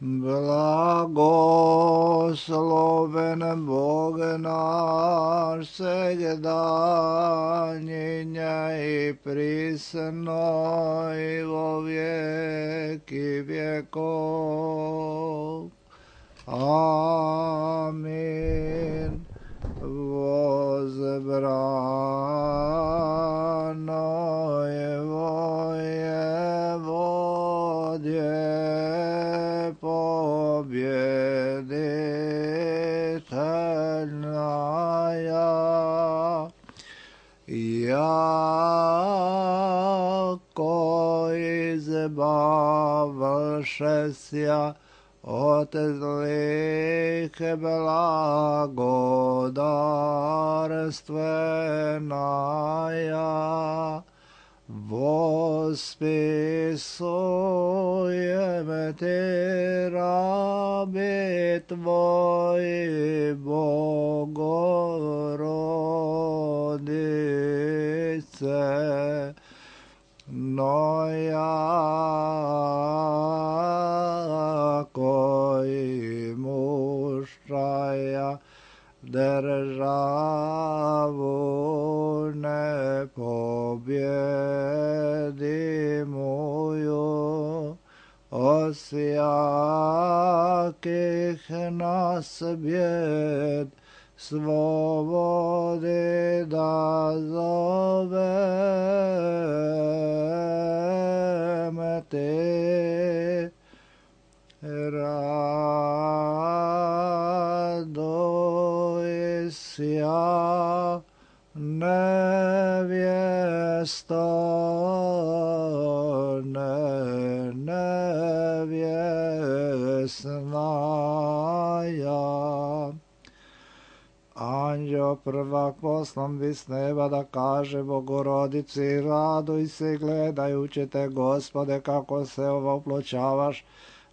Blagosloven Bog naš svegda, njinja i prisno i vo vijeki vjekov. Amin. Возбрано Его Еводье победительная, яко избавшеся от злых благодарственная, восписуем Ты, раби Твои, Богородице, но яко и мужая державу непобедимую, от всяких нас бед свободы дозовем Ты. Радуйся, невесто, невестная. Anđeo prvak poslan bi s neba da kaže Bogorodici, raduj se gledajući te, Gospode, kako se opločavaš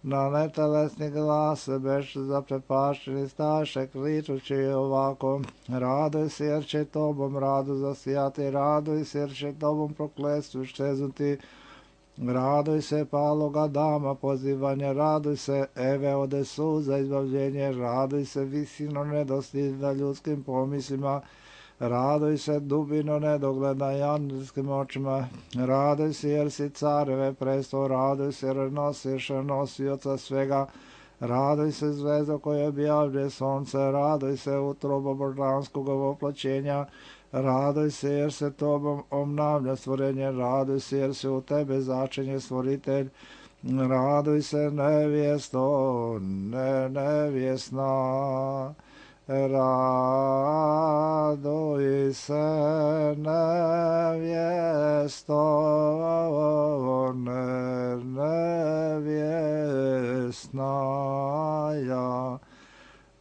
na netelesni glas, beš zaprepašćeni staše, kličući ovako, raduj se jer će tobom radu zasijati, raduj se jer će tobom prokletstvu ščeznuti, raduj se paloga dama pozivanje, raduj se Eve ode suza izbavljenje, raduj se visino nedostižna ljudskim pomislima, raduj se dubino nedogleda angelskim očima, raduj se jer si careve presto, raduj se jer nosiš nosioca svega, raduj se zvezdo koje objavlje sonce, raduj se utrobo božanskog voplaćenja, raduj se jer se tobom obnavlja stvorenje, raduj se jer se u tebe začinje stvoritelj, raduj se nevjesto, nevjesna, raduj se nevjesto, nevjesnaja.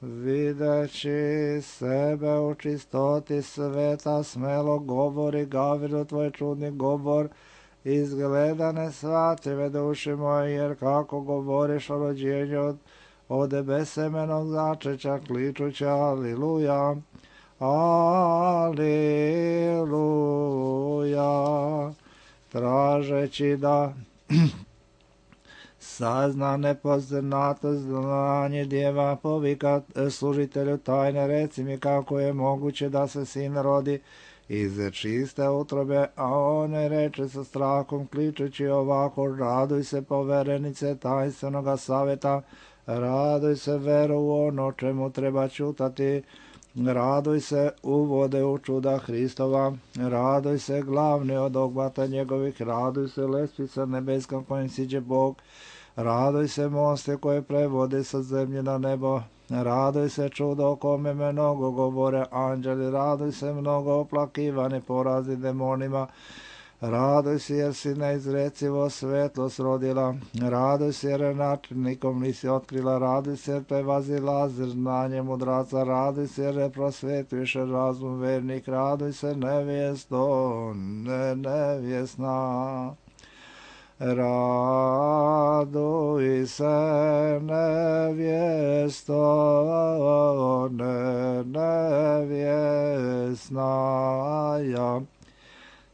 Videći sebe u čistoti sveta, smelo govori Gavrilu tvoj čudni govor, izgleda nesvatljive duši moje, jer kako govoriš o rođenju od besemenog začeća, kličući aliluja, aliluja, tražeći da sazna nepoznato znanje djeva, povika služitelju tajne, reci mi kako je moguće da se sin rodi iz čiste utrobe, a on reče sa strahom, kličući ovako, raduj se poverenice tajnstvenoga savjeta, raduj se veru u ono čemu treba čutati, raduj se uvode u čuda Hristova, raduj se glavni od ogvata njegovih, raduj se lestvica nebeska kojim siđe Bog, raduj se moste koje prevode sa zemlje na nebo, raduj se čudo o kome mnogo govore anđeli, raduj se mnogo oplakivani porazi demonima, raduj se jer si neizrecivo svetlost rodila, raduj se jer načinikom nisi otkrila, raduj se jer prevazilazi znanje mudraca, raduj se jer prosvetuješ razum vernik, raduj se nevjesto, nevjesna. Raduj se nevjesto, nevjesnaja,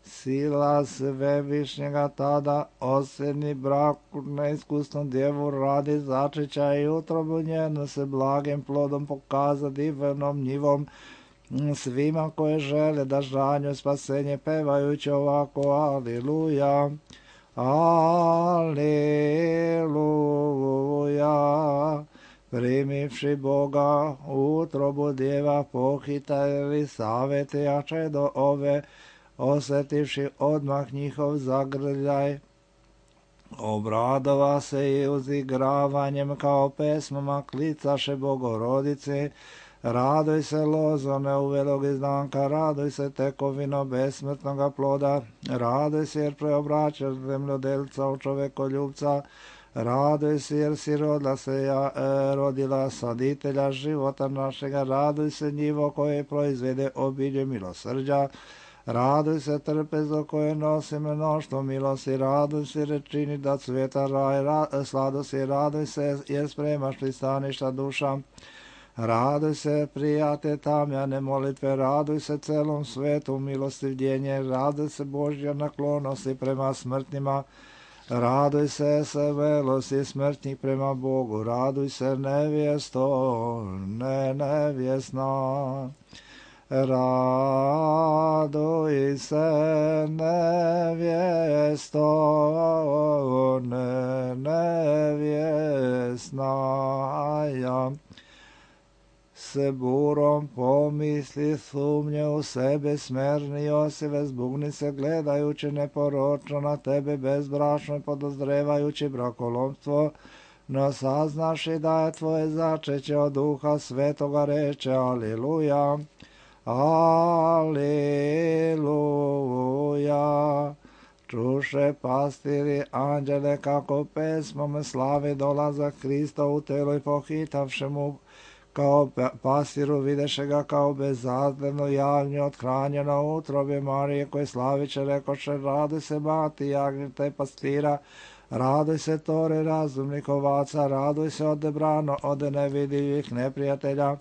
Sila Svevišnjega tada osjedni brak neiskusnom djevu radi začeća i utrobu njenu se blagim plodom pokaza divnom njivom svima koje žele da žanju spasenje pevajući ovako Aliluja, Aliluja. Primivši Boga utrobu djeva pohitali savete jače do ove, osjetivši odmah njihov zagrljaj, obradova se i uzigravanjem kao pesmama klicaše Bogorodice. Raduj se lozo neuvelog izdanka, raduj se tekovino besmrtnoga ploda, raduj se jer preobraćaš zemljodelca u čovekoljubca, raduj se jer si rodila saditelja života našega, raduj se njivo koje proizvede obilje milosrđa, raduj se trpezo koje nosi mnoštvo milosti, raduj se rečini da cvjeta raj, sladosti, raduj se jer spremaš pristaništa duša, raduj se prijate tamjane molitve, raduj se celom svetu milostivljenje, raduj se Božja naklonosti prema smrtnima, raduj se svelosti smrtnih prema Bogu, raduj se nevjesto, nevjesna. Raduj se nevjesto, nevjesna. S burom pomisli sumnje u sebe smerni Josive, zbugni se gledajući neporočno na tebe bezbračno podozrevajući brakolomstvo, no saznaš i da je tvoje začeće od Duha Svetoga, reče Aliluja, Aliluja. Čuše pastiri anđele kako pesmom slavi dolazak Krista u telo i pohitavše mu kao pasiru videše ga kao bezazdevno jagnje othranjeno u utrobi Marije koje slaviće rekoše raduj se mati jagnjeta i pastira, raduj se tore razumnih ovaca, raduj se odebrano od nevidljivih neprijatelja,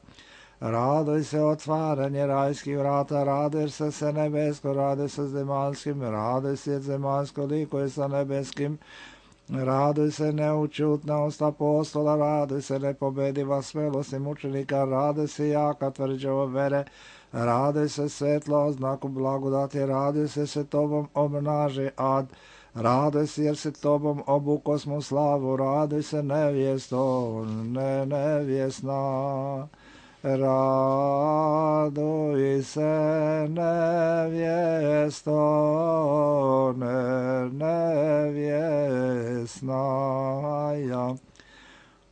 raduj se otvaranje rajskih vrata, raduj se nebesko, raduj se zemaljskim, raduj se zemaljsko likuje sa nebeskim, raduj se neučutnost apostola, raduj se nepobediva smelost i mučenika, raduj se jaka tvrđava vere, raduj se svetlo oznaku blagodati, raduj se tobom obnaži ad, raduj se jer se tobom obukosmo slavu, raduj se nevjesto, nevjesna. Raduj se nevjesto, nevjesna.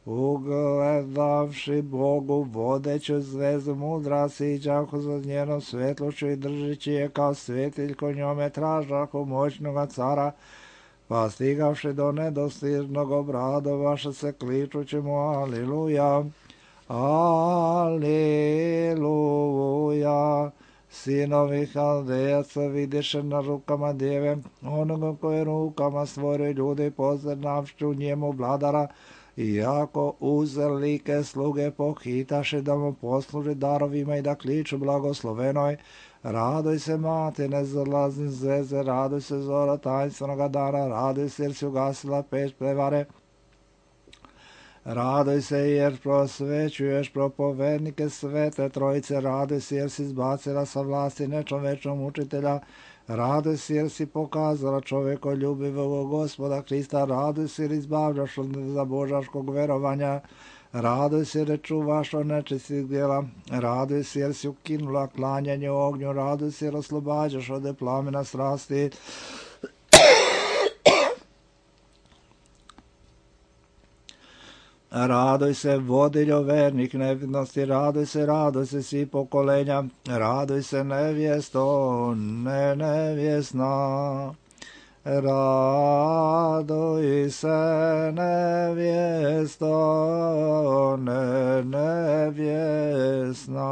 Ugledavši Bogu vodeću zvezdu mudra siđahu za njenom svetlošću i držići je kao svjetiljko njome tražahu moćnoga cara, pa stigavši do nedostižnog obradovaša se kličući mu Aliluja, Aliluja. Sinovi Haldejaca vidiše na rukama djeve, onoga koje rukama stvore ljudi poznavši u njemu vladara, iako uzelike sluge pohitaše da mu posluži darovima i da kliču blagoslovenoj, raduj se mati nezalazni zveze, raduj se zora tajnstvenog dana, raduj se jer si ugasila peć prevare, raduj se jer prosvećuješ propovednike svete trojice, raduj se jer si izbacila sa vlasti nečovečnog učitelja, raduj se jer si pokazala čovjekoljubivog Gospoda Krista, raduj se jer izbavljaš od zabožaškog verovanja, raduj se jer čuvaš od nečistih djela, raduj se jer si ukinula klanjanje u ognju, raduj se jer oslobađaš od plamena strasti, raduj se vodiljo vernik nevidnosti, raduj se svi pokolenja, raduj se nevjesto, nevjesna. Raduj se nevjesto, nevjesna.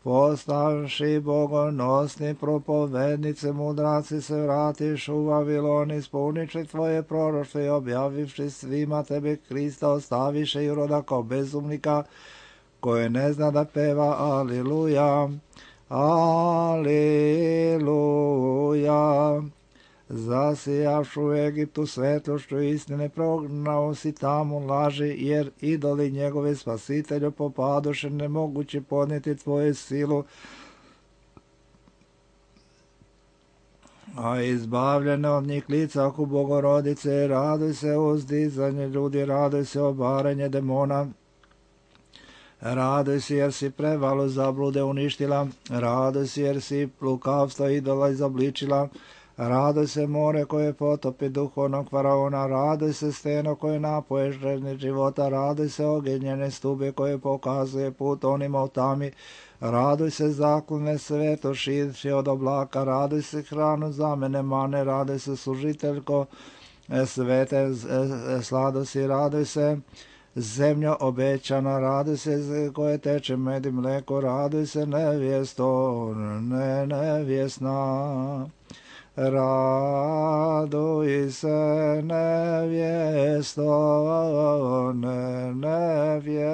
Postavši bogonosni propovednice, mudraci se vratiš u Vavilon, ispuniči tvoje proroštvo i objavivši svima tebe Krista ostaviše i roda kao bezumnika koje ne zna da peva Aliluja, Aleluja. Zasijavšu u Egiptu svetlošću istine, prognao si tamo laži, jer idoli njegove spasitelju popadoše, nemoguće podnijeti tvoju silu. A izbavljene od njih lica oko Bogorodice, raduj se uzdizanje ljudi, raduj se obaranje demona. Raduj se jer si prevalu zablude uništila, raduj se jer si lukavstvo idola izobličila, raduj se more koje potopi duhovnog faraona, raduj se steno koje napoje željni života, raduj se ogenjene stube koje pokazuje put onima u tami, raduj se zaklone sveto širši od oblaka, raduj se hranu za mene mane, raduj se služiteljko svete sladosti, raduj se zemljo obećana, raduj se koje teče med i mleko, raduj se nevjesto, nevjesna. Raduj se nevjesto, nevjesna.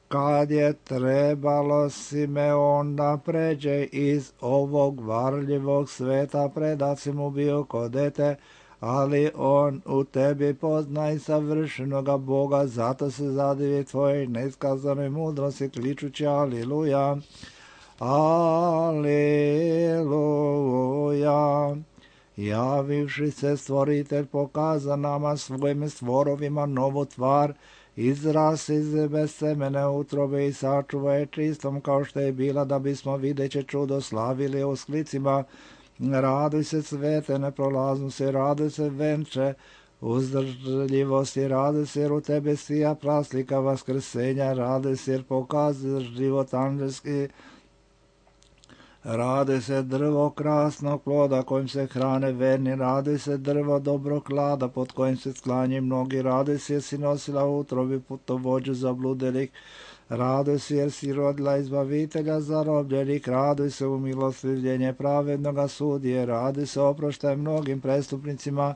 Kad je trebalo Simeon da pređe iz ovog varljivog sveta, predat si mu bio ko dete, ali on u tebi poznaj savršenoga Boga, zato se zadivi tvojoj neiskazanoj mudrosti, kličući Aliluja, Aliluja. Javivši se stvoritelj pokaza nama svojim stvorovima novu tvar, izras iz bez semene utrobe i sačuva je čistom kao što je bila, da bismo videće čudo slavili u sklicima. Raduj se svete neprolaznosti, raduj se venče uzdržljivosti, raduj se jer u tebe sija praslika vaskrsenja, raduj se jer pokazuješ život anđelski, raduj se drvo krasnog ploda kojim se hrane verni, raduj se drvo dobrog klada pod kojim se sklanji mnogi, raduj se jer si nosila u utrobi putovođu zabludelih, raduj se jer si rodila izbavitelja zarobljenih, raduj se u milostivljenje pravednoga sudije, raduj se oproštaj mnogim prestupnicima,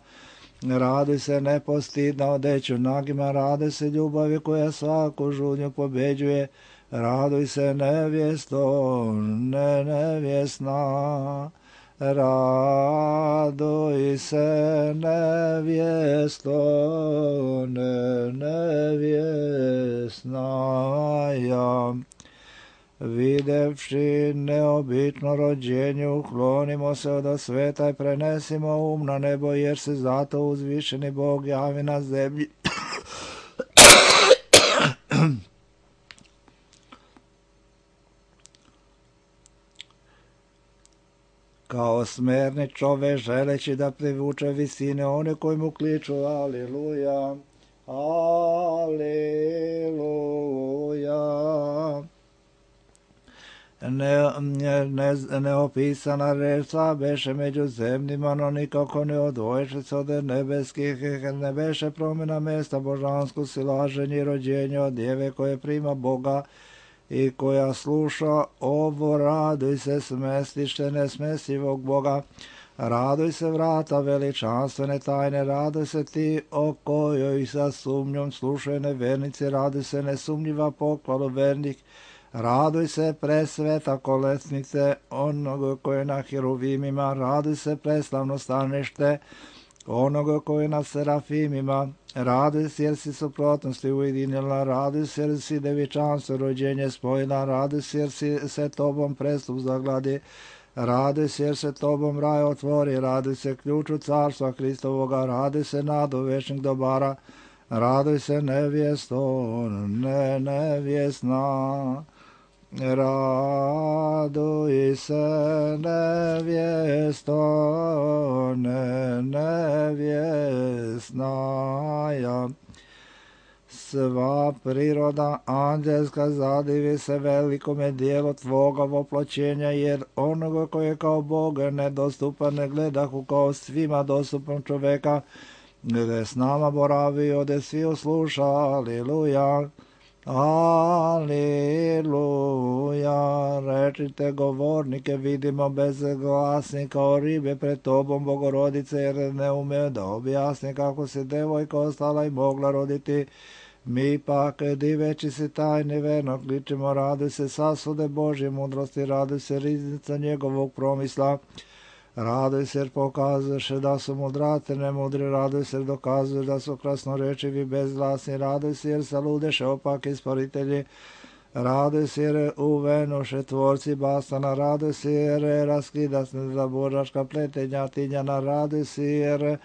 raduj se nepostidna odeću nagima, raduj se ljubavi koja svaku žudnju pobeđuje, raduj se nevjesto, nevjesna. Raduj se nevjesto, nevjesna. Videvši neobično rođenje, uklonimo se od sveta i prenesimo um na nebo, jer se zato uzvišeni Bog javi na zemlji. Kao smerni čove želeći da privuče visine one koji mu kliču Aliluja, Aliluja. Neopisana reč beše među zemljima, no nikako ne odvoješe se od nebeskih, ne beše promjena mesta božansku silaženje i rođenje od djeve koje prima Boga i koja sluša ovo, raduj se smestište nesmesivog Boga, raduj se vrata veličanstvene tajne, raduj se ti o kojoj sa sumnjom slušaju nevernici, raduj se nesumnjiva pohvalu vernih, raduj se presveta kolesnice onoga koje na hiruvimima, raduj se preslavno stanište onoga koji na serafimima, raduj se jer si suprotnosti ujedinila, raduj se jer si devičanstvo rođenje spojila, raduj se jer si se tobom prestup zagladi, raduj se jer se tobom raj otvori, raduj se ključu carstva Hristovoga, raduj se nadu večnih dobara, raduj se nevjesto, nevjesna. Raduj se nevjesto, nevjesna. Sva priroda anđelska zadivi se velikome dijelu tvoga voploćenja, jer onoga koji je kao Boga nedostupan ne gledahu kao svima dostupan čoveka, gdje s nama boravi, ode svi usluša, Aliluja. Aliluja, rečite govornike, vidimo bezglasni kao ribe pred tobom, Bogorodice, jer ne ume da objasni kako se devojka ostala i mogla roditi. Mi pak, diveći se tajne verno, kličemo, raduj se sasude Božje mudrosti, raduj se riznica njegovog promisla, raduj se jer pokazuješ da su mudrate nemudri, raduj se jer dokazuješ da su krasnorečivi bezglasni, raduj se jer saludeše opak isporitelji, raduj se jer uvenoše tvorci bastana, raduj se jer raskidasne za božaška pletenja tinjana, raduj se jer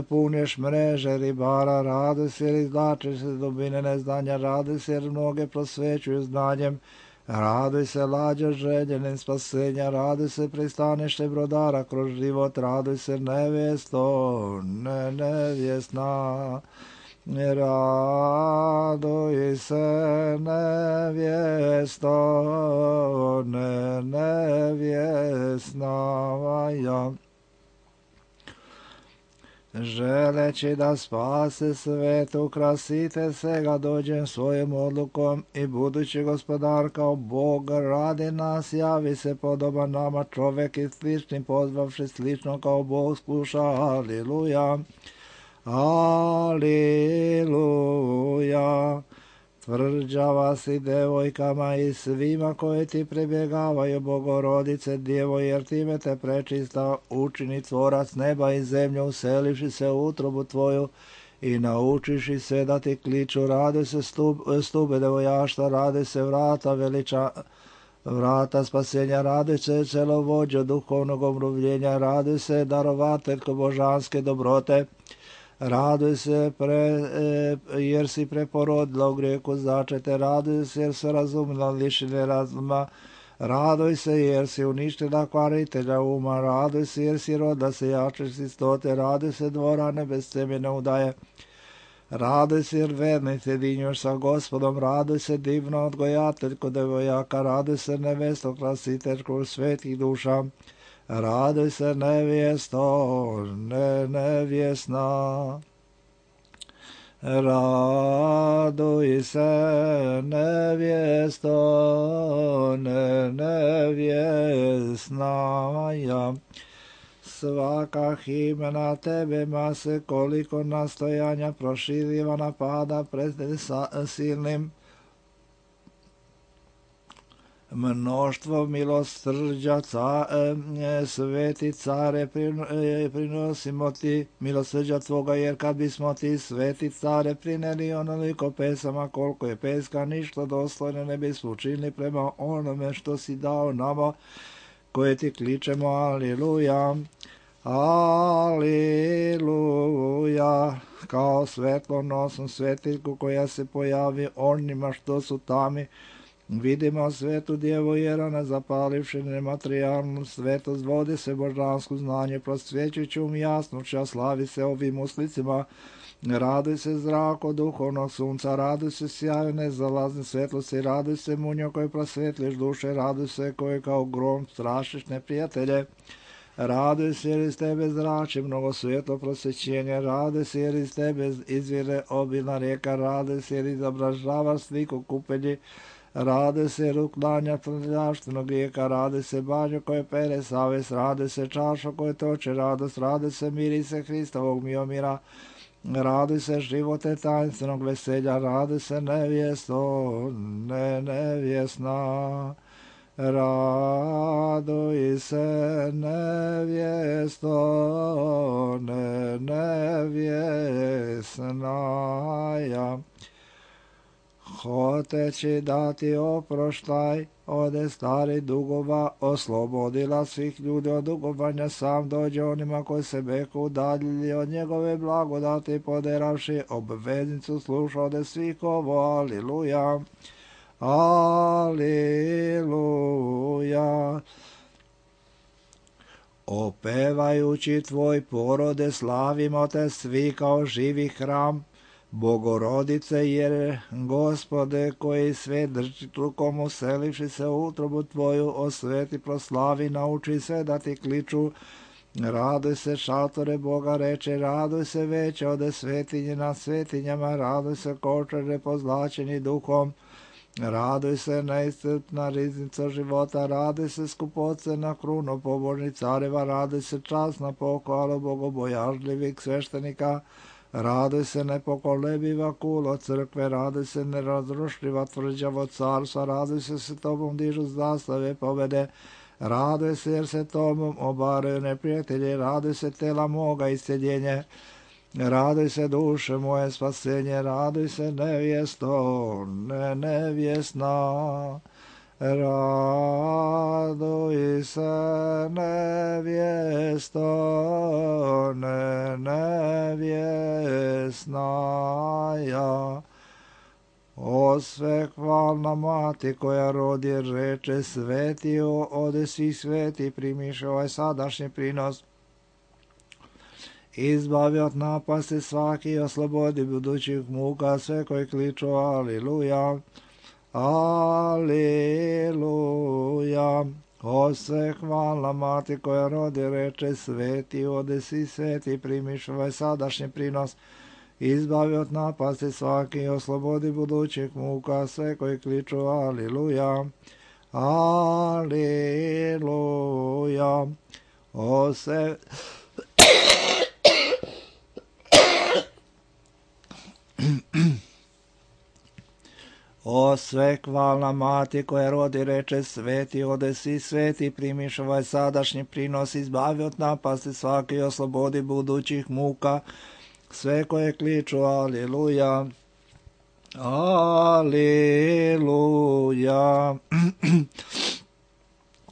punješ mreže ribara, raduj se jer izvlačiš se dubine neznanja, raduj se jer mnoge prosvećuju znanjem, raduj se lađa željenim spasenja, raduj se pristaneš brodara kroz život, raduj se nevjesto, nevjesna, raduj se nevjesto, nevjesna, ja. Želeći da spase svet, ukrasite se ga dođem svojom odlukom i budući gospodar kao Bog radi nas, javi se podoban nama čovek i slični pozvavši slično kao Bog sluša, aliluja, aliluja. Tvrđava si devojkama i svima koji ti prebjegavaju, Bogorodice djevo, jer time te prečista učini tvorac neba i zemlje, uselivši se u utrobu tvoju i naučiši se da ti kliču, rade se stube devojaštva, rade se vrata spasenja, rade se celovođa duhovnog obnovljenja, rade se darovateljko božanske dobrote, raduj se jer si preporodila u grijehu začete, raduj se jer se razumila lišine razuma, raduj se jer si uništila kvaritelja uma, raduj se jer si rodila se jače čistote, raduj se dvorane bez semene udaje, raduj se jer verni se dinjuš sa gospodom, raduj se divno odgojateljko devojaka, raduj se nevesto krasiteljko svetih duša, raduj se nevjesto, nevjesna, raduj se nevjesto, nevjesna, ja. Svaka himna tebe mase, koliko nastojanja proširiva napada pred silnim mnoštvo milosrđa, sveti care, prinosimo ti milosrđa tvoga, jer kad bismo ti sveti care prineli onoliko pesama koliko je peska, ništa dostojno ne bismo učinili prema onome što si dao nama, koje ti kličemo, aliluja, aliluja, kao svetlonosnu svetiljku koja se pojavi onima što su tami. Vidimo svetu djevu jer ona zapalivši nematerijalnu svetost, vodi se božansko znanje, prosvjećujući jasnoća, slavi se ovim uslicima, raduj se zrako duhovnog sunca, raduj se sjaju nezalazne svetlosti, raduj se munjo koji prosvetliš duše, raduj se koji kao grom strašiš neprijatelje, raduj se jer iz tebe zrači mnogo svjetlo prosvećenja, raduj se jer iz tebe izvire obilna rijeka, raduj se jer izobražavaš sliku kupelji, rade se ruklanja prljaštvenog grijeka, rade se banjo koje pere savest, rade se čašo koje toče radost, rade se mirise Hristovog miomira, rade se živote tajnstvenog veselja, rade se nevjesto, nevjesna, raduj se nevjesto, nevjesna, ja. Hoteći dati oproštaj ode stari dugova, oslobodila svih ljudi od dugovanja, sam dođe onima koji se beku udaljili od njegove blagodati, poderavši obveznicu sluša ode svih ovo, aliluja, aliluja. Opevajući tvoj porode, slavimo te svi kao živi hram, Bogorodice, jer Gospode koji sve drži rukom, uselivši se u utrobu tvoju, osveti, proslavi, nauči se da ti kliču, raduj se šatore Boga reče, raduj se veće ode svetinje na svetinjama, raduj se kočare pozlačeni duhom, raduj se neiscrpna riznica života, raduj se skupoce na kruno pobožnih careva, raduj se časna pohvala bogobojažljivih sveštenika, Raduj se nepokolebiva kulo crkve, raduj se nerazrušljiva tvrđavo carstva, raduj se tobom dižu zastave pobede, raduj se jer se tobom obaraju neprijatelji, raduj se tela moga isceljenje, raduj se duše moje spasenje, raduj se nevjesto, nevjesna. Raduj se nevjesto, nevjesnaja. O sve hvalna mati koja rodi reče sveti, ode svih sveti primiš ovaj sadašnji prinos. Izbavi od napasti svaki, oslobodi budućih muka sve koji kliču aliluja. Aleluja. O sve hvalna mati koja rodi reče sveti, ode si sveti primiš ovaj sadašnji prinos. Izbavi od napasti svaki, oslobodi budućih muka sve koji kliču aleluja. Aleluja. O sve O sve hvalna mati koja rodi reče sveti, ode si sveti primiš ovaj sadašnji prinos, izbavi od napasti svaki, oslobodi budućih muka sve koje kliču aleluja. Aleluja.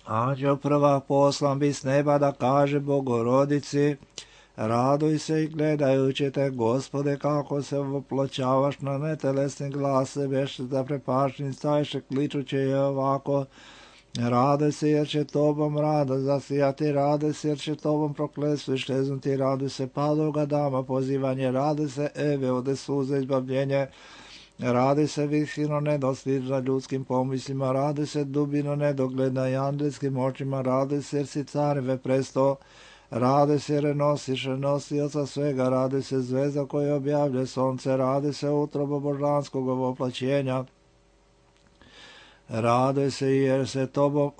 Anđeo prvak poslan bi s neba da kaže Bogorodici, raduj se i gledajući te, Gospode, kako se oploćavaš na netelesni glas sebe, da prepašni stajše kličući je ovako, raduj se jer će tobom rada zasijati, raduj se jer će tobom prokletstvo iščeznuti, raduj se padoga dama pozivanje, raduj se Eve ode suze izbavljenje, raduj se visino nedostižna ljudskim pomislima, raduj se dubino nedogledna i andelskim očima, raduj se jer si careve presto, raduj se jer nosiš nosioca svega, raduj se zvezda koja objavlja sonce, raduj se utrobo božanskog ovoplaćenja, raduj se jer se tobom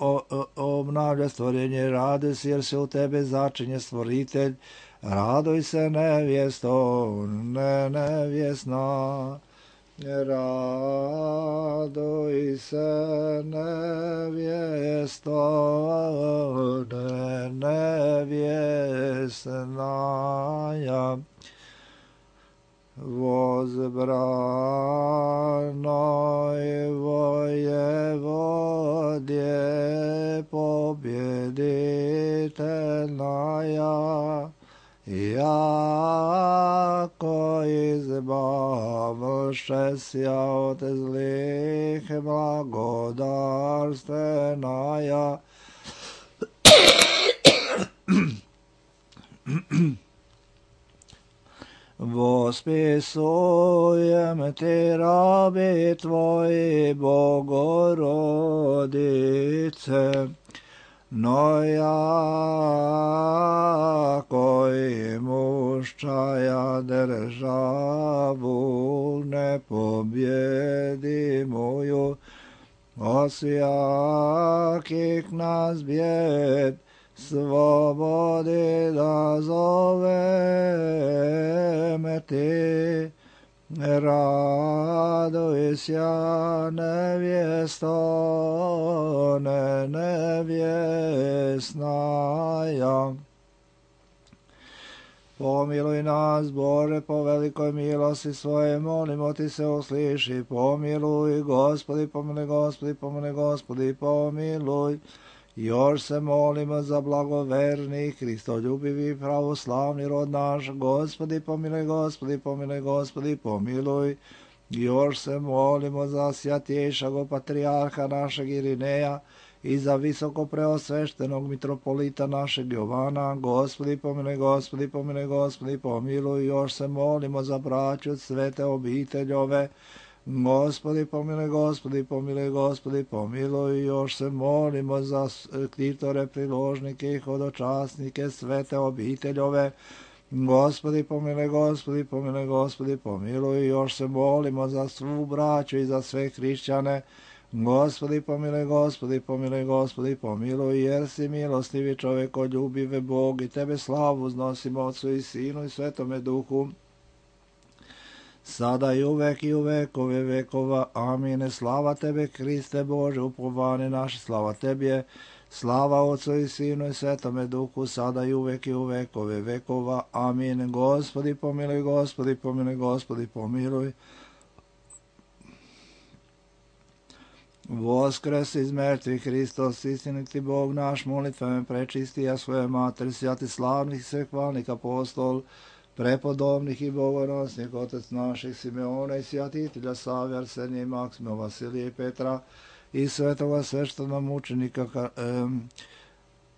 obnavlja stvorenje, raduj se jer se u tebe začinje stvoritelj, raduj se nevjesto, nevjesna. Raduj se nevjesto, nevjesnaja. Возбранoj воеводje побjeditelnaja, jako izbavše sja od zlih blagodarstvenaja. Vospisujem ti rabi tvoji, Bogorodice, no jako imuščaja državu nepobjedimuju, osjakih nas bjed slobodi da zoveme ti. Raduj sja nevjesto, nevjesnaja. Pomiluj nas, Bože, po velikoj milosti svoje, molimo ti se usliši. Pomiluj, Gospodi, pomiluj, Gospodi, pomiluj, Gospodi, pomiluj. Još se molimo za blagoverni, hristoljubivi, pravoslavni rod naš. Gospodi, pomiluj, Gospodi, pomiluj, Gospodi, pomiluj. Još se molimo za svjatjejšeg patrijarha našeg Irineja i za visoko preosveštenog mitropolita našeg Jovana. Gospodi, pomiluj, Gospodi, pomiluj, Gospodi, pomiluj. Još se molimo za braću svete obiteljove. Gospodi, pomiluj, Gospodi, pomiluj, Gospodi, pomiluj. Još se molimo za ktitore, priložnike i hodočasnike svete obiteljove. Gospodi, pomiluj, Gospodi, pomiluj, Gospodi, pomiluj. Još se molimo za svu braću i za sve hrišćane. Gospodi, pomiluj, Gospodi, pomiluj, Gospodi, pomiluj, jer si milostivi čovjeko, ljubive Bog, i tebe slavu uznosimo Otcu i Sinu i Svetome Duhu, sada i u vekove vekova. Amin. Slava Tebe, Hriste Bože, upovane naše, slava Tebe. Slava Otcu i Sinu i Svetome Duhu, sada i u vekove vekova. Amin. Gospodi pomiluj, Gospodi pomiluj, Gospodi pomiluj. Voskres iz mrtvih Hristos, istiniti Bog naš, molitvama prečisti, a svoje mater, sjati slavnih i svekvalnih apostol, prepodobnih i bogonosnih, otec naših Simeona i sjatitelja Savija, Arsenija i Maksima, Vasilija i Petra, i svetoga sveštena mučenika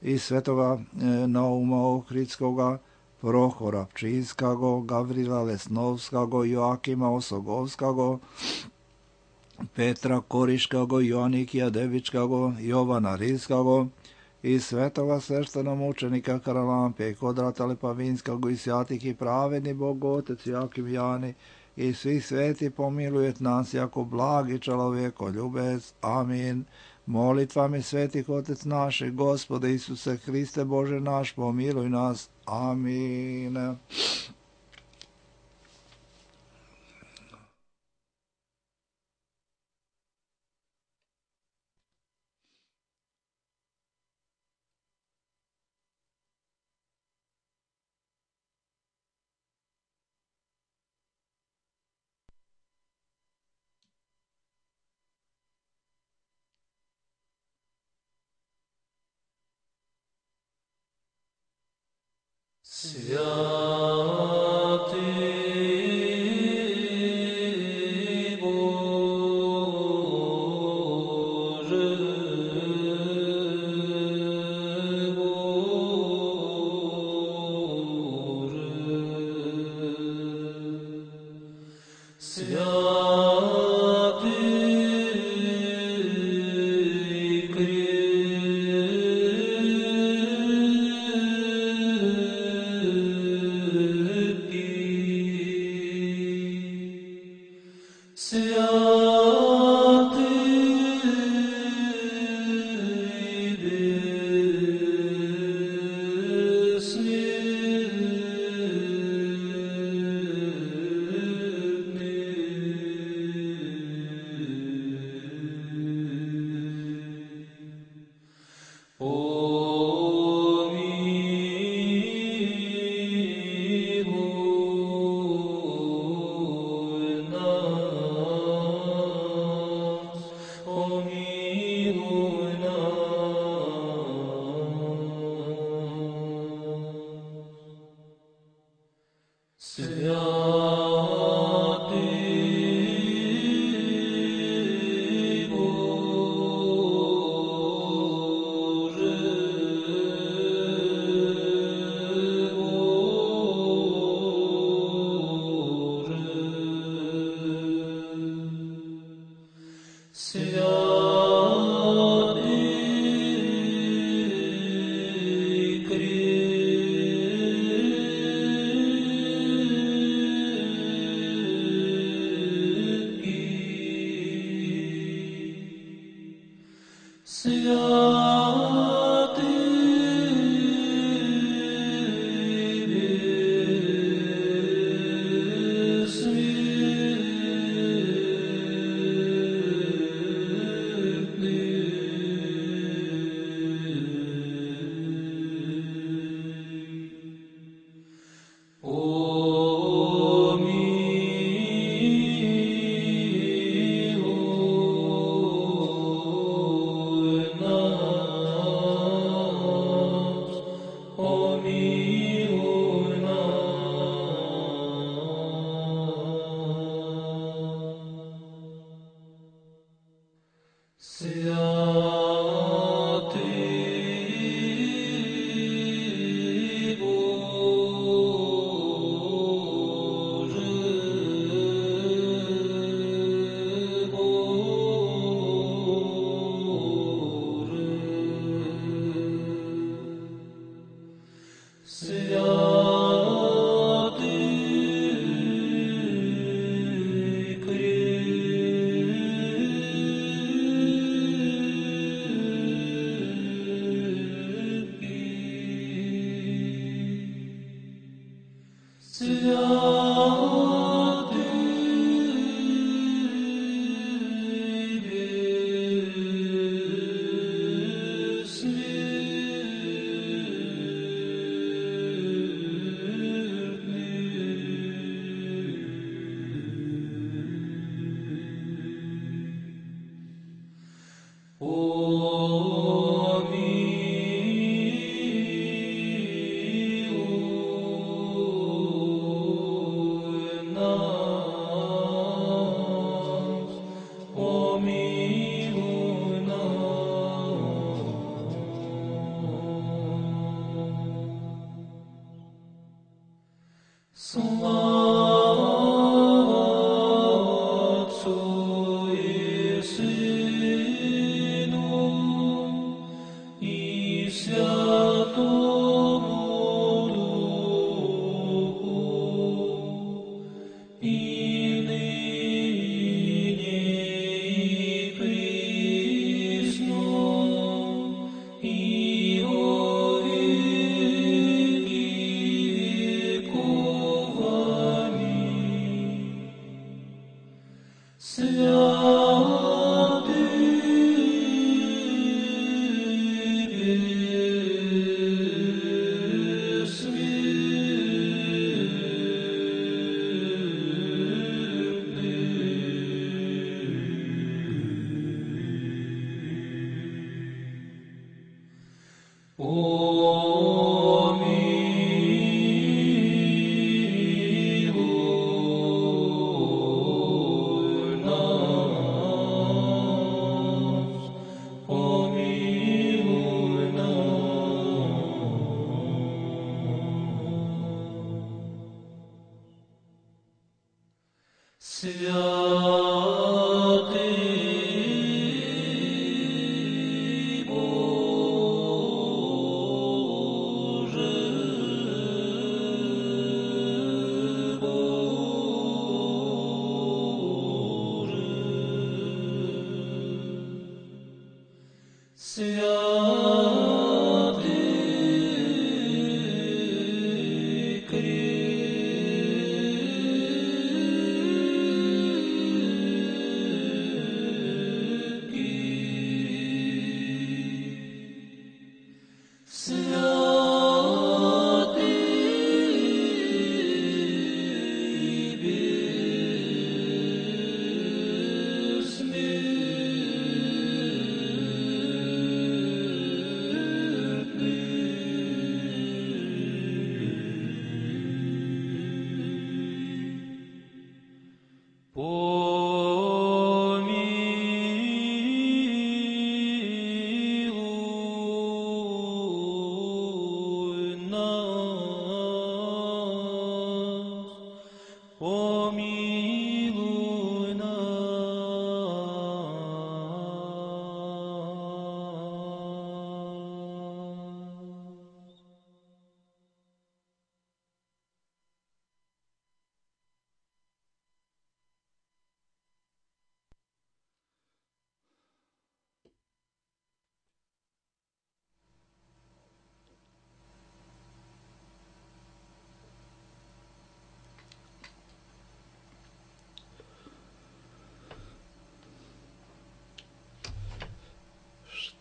i svetoga Nauma Ohridskoga, Prohora Pčinskago, Gavrila Lesnovskago, Joakima Osogovskago, Petra Koriškago, Joanikija Devičkago, Jovana Rilskago i svetoga sveštena mučenika Karalampija i Kodrata Lepavinskago i sjatih i pravedni Bog Otec Jakim Jani i svih sveti pomilujet nas jako blagi čeloveko ljubec. Amin. Molitvami svetih Otec naših, Gospode Isuse Hriste Bože naš, pomiluj nas. Amin.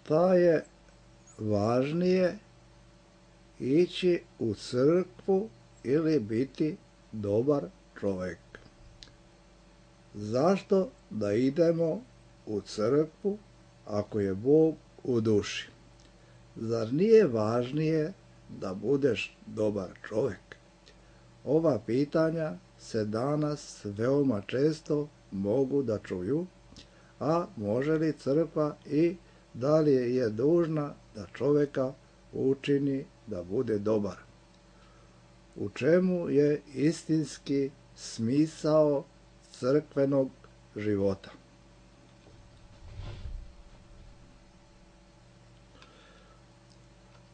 Šta je važnije, ići u crkvu ili biti dobar čovjek? Zašto da idemo u crkvu ako je Bog u duši? Zar nije važnije da budeš dobar čovjek? Ova pitanja se danas veoma često mogu da čuju, a može li crkva i da li je dužna da čovjeka učini da bude dobar? U čemu je istinski smisao crkvenog života?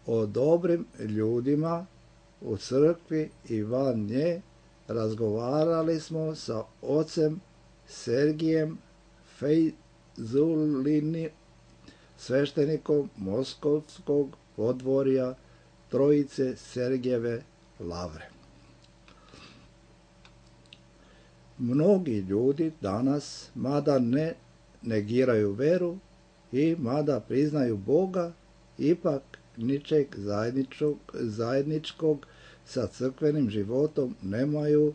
O dobrim ljudima u crkvi i van nje razgovarali smo sa ocem Sergijem Fejzulini, sveštenikom Moskovskog podvorja Trojice Sergijeve lavre. Mnogi ljudi danas, mada ne negiraju veru i mada priznaju Boga, ipak ničeg zajedničkog sa crkvenim životom nemaju,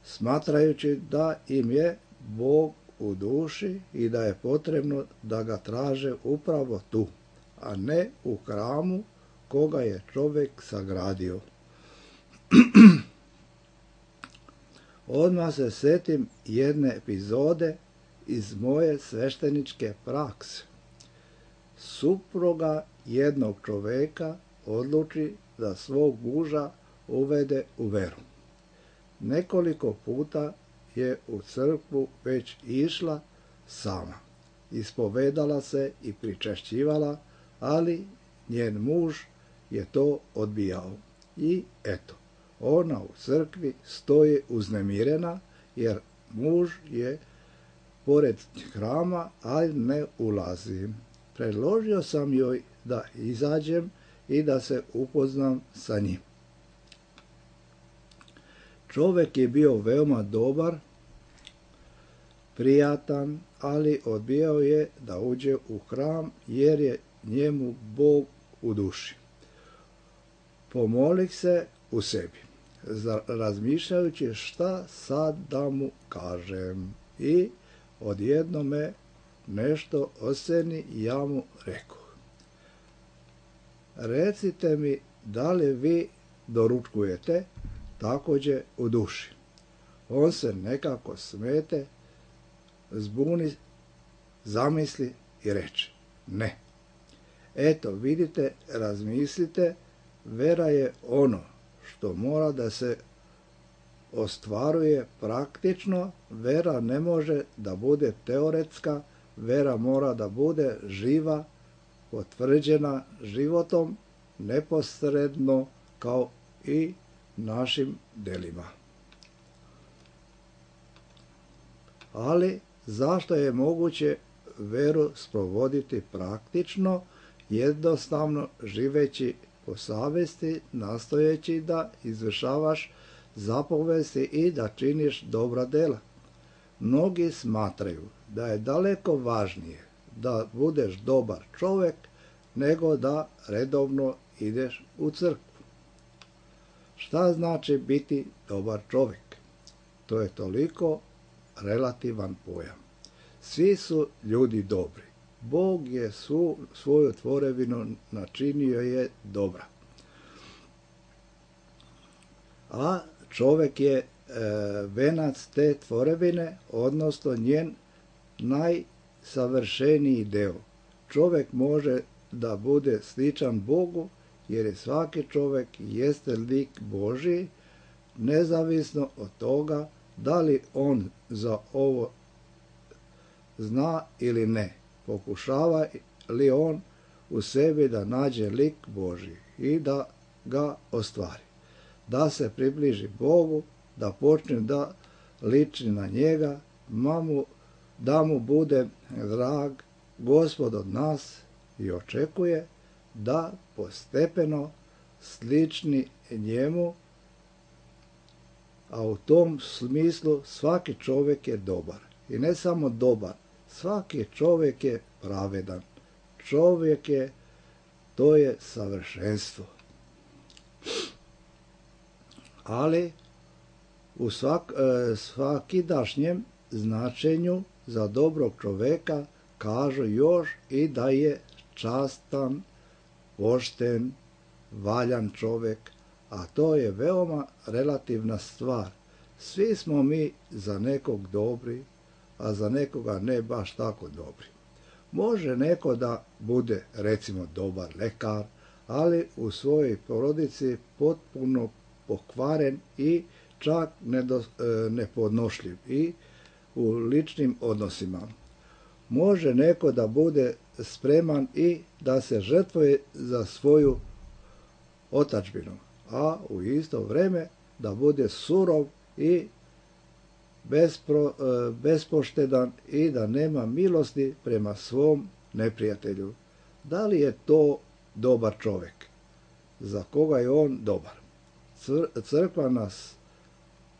smatrajući da im je Bog u duši i da je potrebno da ga traže upravo tu, a ne u hramu koga je čovjek sagradio. Odmah se sjetim jedne epizode iz moje svešteničke prakse. Supruga jednog čovjeka odluči da svog muža uvede u veru. Nekoliko puta je u crkvu već išla sama. Ispovedala se i pričešćivala, ali njen muž je to odbijao. I eto, ona u crkvi stoji uznemirena, jer muž je pored hrama, ali ne ulazi. Predložio sam joj da izađem i da se upoznam sa njim. Čovjek je bio veoma dobar, prijatan, ali odbijao je da uđe u hram jer je njemu Bog u duši. Pomolih se u sebi, razmišljajući šta sad da mu kažem. I odjedno me nešto osjeni i ja mu rekoh: recite mi, da li vi doručkujete također u duši? On se nekako smete, zbuni, zamisli i reče: ne. Eto, vidite, razmislite, vera je ono što mora da se ostvaruje praktično. Vera ne može da bude teoretska, vera mora da bude živa, potvrđena životom, neposredno kao i našim delima. Ali zašto je moguće veru sprovoditi praktično, jednostavno živeći po savesti, nastojeći da izvršavaš zapovesti i da činiš dobra dela? Mnogi smatraju da je daleko važnije da budeš dobar čovjek nego da redovno ideš u crkvu. Šta znači biti dobar čovjek? To je toliko relativan pojam. Svi su ljudi dobri. Bog je svoju tvorevinu načinio je dobra. A čovjek je venac te tvorevine, odnosno njen najsavršeniji deo. Čovjek može da bude sličan Bogu, jer je svaki čovjek jeste lik Božji, nezavisno od toga da li on za ovo zna ili ne. Pokušava li on u sebi da nađe lik Božji i da ga ostvari, da se približi Bogu, da počne da liči na njega, da mu bude drag Gospod od nas, i očekuje da postepeno slični njemu, a u tom smislu svaki čovjek je dobar. I ne samo dobar, svaki čovjek je pravedan. Čovjek je, to je savršenstvo. Ali u svakidašnjem značenju za dobrog čovjeka kažu još i da je častan, pošten, valjan čovjek, a to je veoma relativna stvar. Svi smo mi za nekog dobri, a za nekoga ne baš tako dobri. Može neko da bude, recimo, dobar lekar, ali u svojoj porodici potpuno pokvaren i čak nepodnošljiv i u ličnim odnosima. Može neko da bude spreman i da se žrtvuje za svoju otadžbinu, a u isto vrijeme da bude surov i bespoštedan i da nema milosti prema svom neprijatelju. Da li je to dobar čovjek? Za koga je on dobar? Crkva nas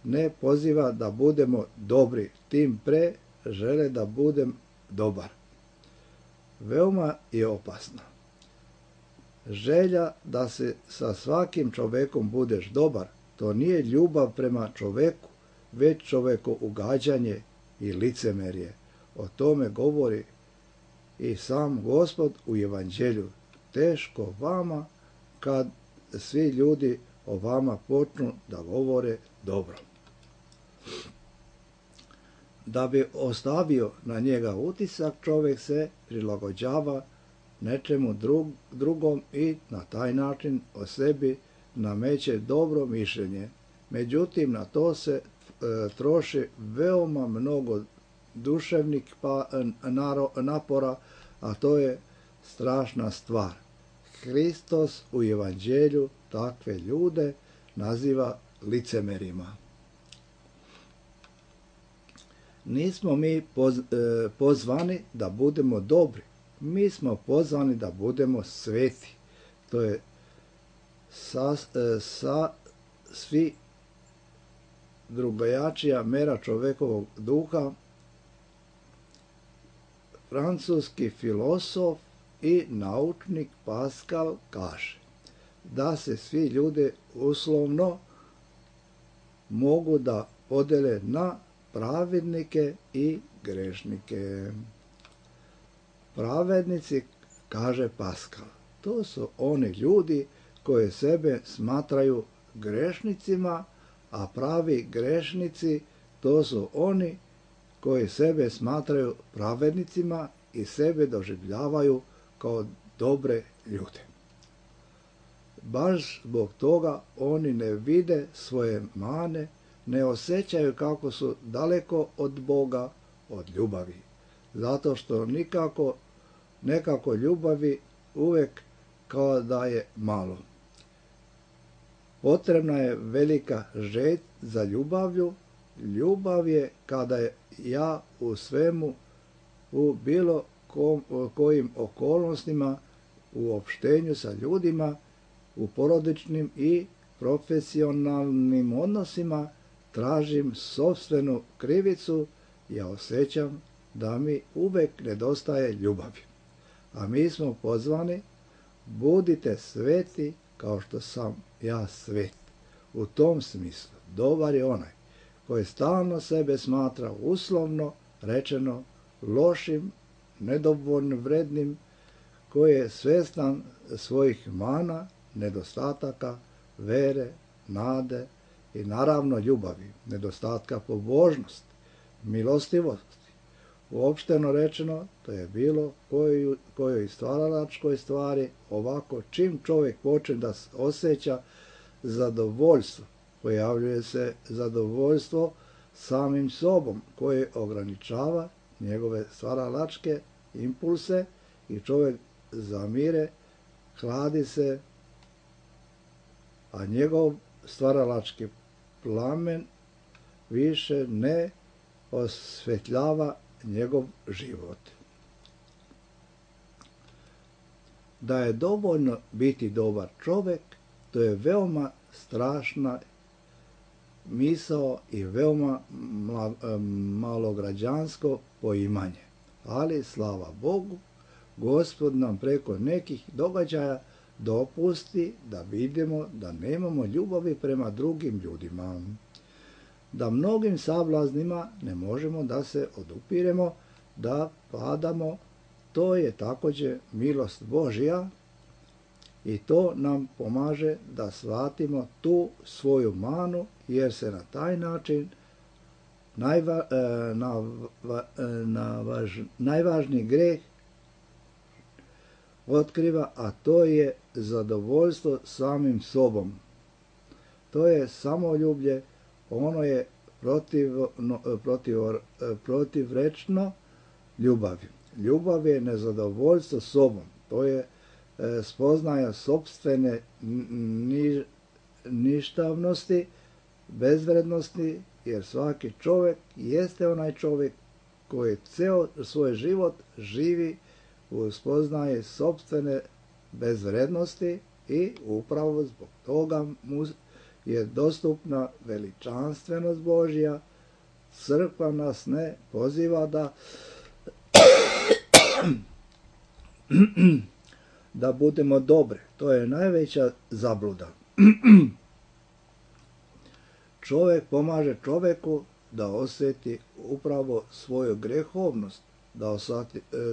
ne poziva da budemo dobri, tim pre žele da budem dobar. Veoma je opasna. Želja da se sa svakim čovjekom budeš dobar, to nije ljubav prema čovjeku, već čovjeko ugađanje i licemerje. O tome govori i sam Gospod u Evanđelju. Teško vama kad svi ljudi o vama počnu da govore dobro. Da bi ostavio na njega utisak, čovjek se prilagođava nečemu drugom i na taj način o sebi nameće dobro mišljenje. Međutim, na to se troši veoma mnogo duševnih napora, a to je strašna stvar. Hristos u evanđelju takve ljude naziva licemerima. Nismo mi pozvani da budemo dobri, mi smo pozvani da budemo sveti. To je svi drugačija mera čovekovog duha. Francuski filosof i naučnik Pascal kaže da se svi ljudi uslovno mogu da podele na pravednike i grešnike. Pravednici, kaže Pascal, to su oni ljudi koji sebe smatraju grešnicima, a pravi grešnici to su oni koji sebe smatraju pravednicima i sebe doživljavaju kao dobre ljude. Baš zbog toga oni ne vide svoje mane, ne osjećaju kako su daleko od Boga, od ljubavi. Zato što nekako ljubavi uvek kao da je malo. Potrebna je velika želja za ljubavlju. Ljubav je kada ja u svemu, u bilo kojim okolnostima, u opštenju sa ljudima, u porodičnim i profesionalnim odnosima tražim sopstvenu krivicu, ja osjećam da mi uvek nedostaje ljubavi. A mi smo pozvani, budite sveti kao što sam ja svet. U tom smislu, dobar je onaj koji stalno sebe smatra uslovno rečeno lošim, nedovoljno vrednim, koji je svestan svojih mana, nedostataka, vere, nade i naravno ljubavi, nedostatka pobožnosti, milostivosti. Uopšteno rečeno, to je bilo kojoj stvaralačkoj stvari. Ovako, čim čovjek počne da osjeća zadovoljstvo, pojavljuje se zadovoljstvo samim sobom, koje ograničava njegove stvaralačke impulse i čovjek zamire, hladi se, a njegov stvaralački plamen više ne osvetljava njegov život. Da je dovoljno biti dobar čovjek, to je veoma strašna misao i veoma malograđansko poimanje. Ali, slava Bogu, Gospod nam preko nekih događaja dopusti da vidimo da nemamo ljubavi prema drugim ljudima, da mnogim sablaznima ne možemo da se odupiremo, da padamo. To je također milost Božja i to nam pomaže da shvatimo tu svoju manu, jer se na taj način najvažniji greh otkriva, a to je zadovoljstvo samim sobom. To je samoljublje, ono je protivrečno ljubavi. Ljubav je nezadovoljstvo sobom, to je spoznaja sopstvene ništavnosti, bezvrednosti, jer svaki čovjek jeste onaj čovjek koji ceo svoj život živi u spoznaje sopstvene bezvrednosti i upravo zbog toga mu je dostupna veličanstvenost Božja. Crkva nas ne poziva da budemo dobri. To je najveća zabluda. Čovjek pomaže čovjeku da osjeti upravo svoju grehovnost,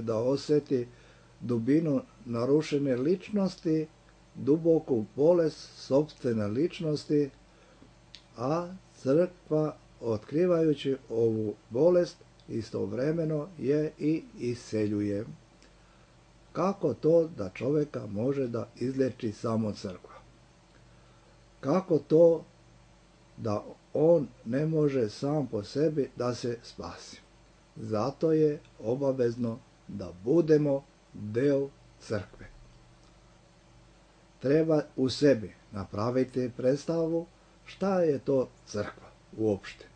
da osjeti dubinu narušene ličnosti, duboku bolest sopstvene ličnosti, a crkva, otkrivajući ovu bolest, istovremeno je i iseljuje. Kako to da čovjeka može da izleči samo crkva? Kako to da on ne može sam po sebi da se spasi. Zato je obavezno da budemo deo crkve. Treba u sebi napraviti predstavu šta je to crkva uopšte.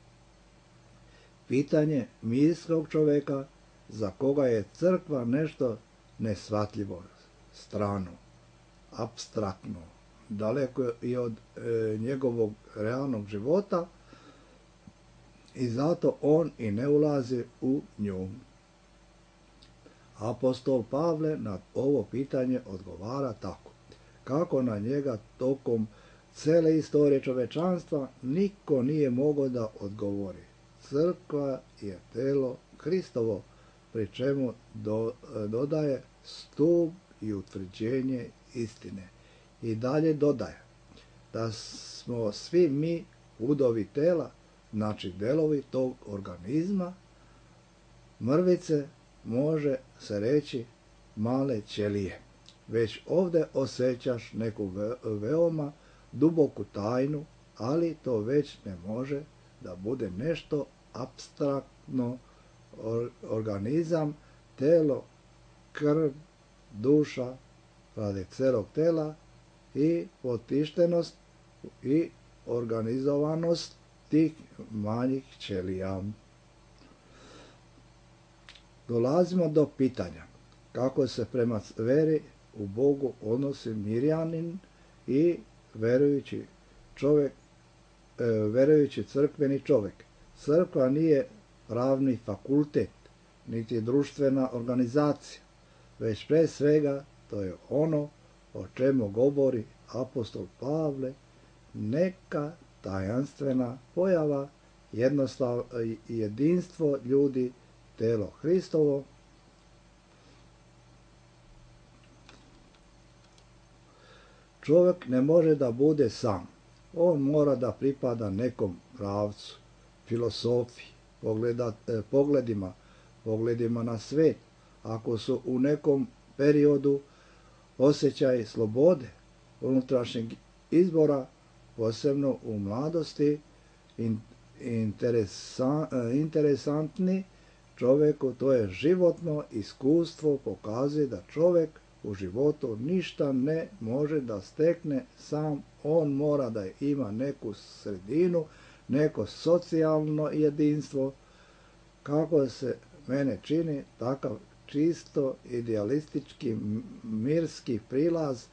Pitanje mislijskog čovjeka za koga je crkva nešto neshvatljivo, strano, apstraktno, daleko i od njegovog realnog života i zato on i ne ulazi u nju. Apostol Pavle na ovo pitanje odgovara tako. Kako na njega tokom cele istorije čovečanstva niko nije mogao da odgovori. Crkva je telo Hristovo, pri čemu dodaje stup i utvrđenje istine. I dalje dodaje da smo svi mi udovi tela, znači delovi tog organizma, mrvice, može se reći male ćelije. Već ovdje osjećaš neku veoma duboku tajnu, ali to već ne može da bude nešto apstraktno, organizam, telo, krv, duša, radi celog tela i potištenost i organizovanost tih manjih ćelija. Dolazimo do pitanja kako se prema veri u Bogu odnosi mirjanin i verujući crkveni čovjek. Crkva nije pravni fakultet, niti društvena organizacija, već pre svega to je ono o čemu govori apostol Pavle, neka tajanstvena pojava, jedinstvo ljudi, telo Hristovo. Čovjek ne može da bude sam. On mora da pripada nekom pravcu, filosofiji, pogledima na svet. Ako su u nekom periodu osjećaj slobode, unutrašnjeg izbora, posebno u mladosti, interesantni čovjeku, to je životno iskustvo, pokazuje da čovjek u životu ništa ne može da stekne sam, on mora da ima neku sredinu, neko socijalno jedinstvo. Kako se mene čini, takav čisto idealistički mirski prilaz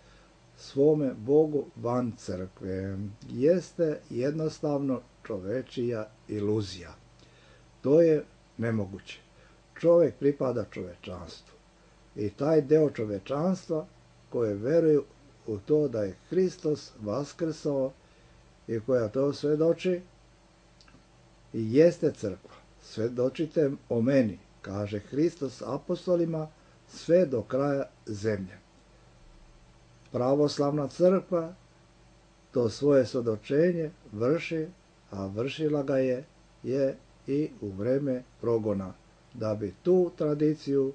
svome Bogu van crkve jeste jednostavno čovečija iluzija. To je nemoguće. Čovjek pripada čovečanstvu i taj deo čovečanstva koje veruju u to da je Hristos vaskrsao i koja to svedoči i jeste crkva. Svedočite o meni, kaže Hristos apostolima, sve do kraja zemlje. Pravoslavna crkva to svoje svedočenje vrši, a vršila ga je i u vreme progona, da bi tu tradiciju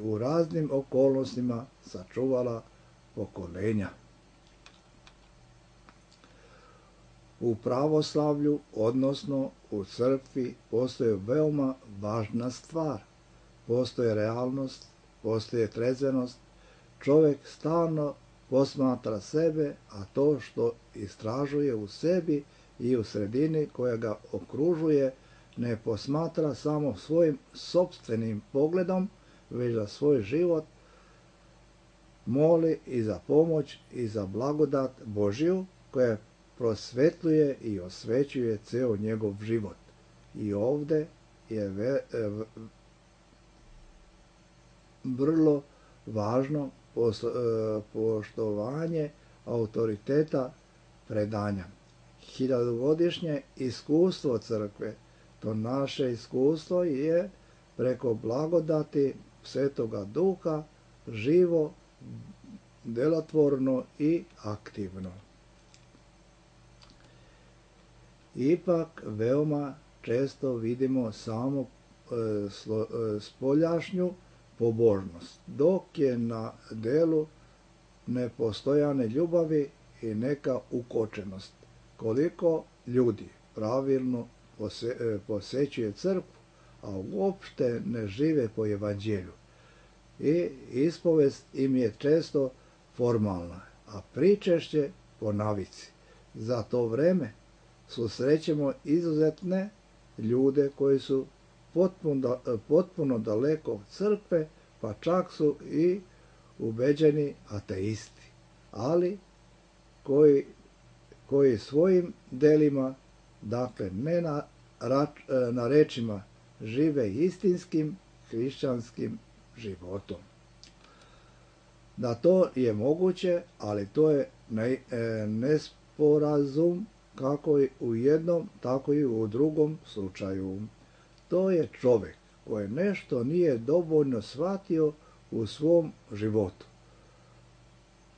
u raznim okolnostima sačuvala pokolenja. U pravoslavlju, odnosno u crkvi, postoji veoma važna stvar. Postoji realnost, postoji trezvenost. Čovjek stalno posmatra sebe, a to što istražuje u sebi i u sredini koja ga okružuje ne posmatra samo svojim sopstvenim pogledom, već za svoj život moli i za pomoć i za blagodat Božju koja prosvetljuje i osvećuje ceo njegov život. I ovdje je vrlo važno poštovanje autoriteta predanja. Hiljadugodišnje iskustvo crkve, to naše iskustvo je preko blagodati Svetoga Duha živo, delotvorno i aktivno. Ipak veoma često vidimo samo spoljašnju pobožnost, dok je na delu nepostojane ljubavi i neka ukočenost. koliko ljudi pravilno posećuje crkvu, a uopšte ne žive po evanđelju. I ispovest im je često formalna, a pričešće po navici. Za to vreme susrećemo izuzetne ljude koji su potpuno daleko od crkve, pa čak su i ubeđeni ateisti, ali koji svojim delima, dakle ne na rečima, žive istinskim hrišćanskim životom. Da to je moguće, ali to je nesporazum kako i u jednom, tako i u drugom slučaju. To je čovjek koji nešto nije dovoljno shvatio u svom životu.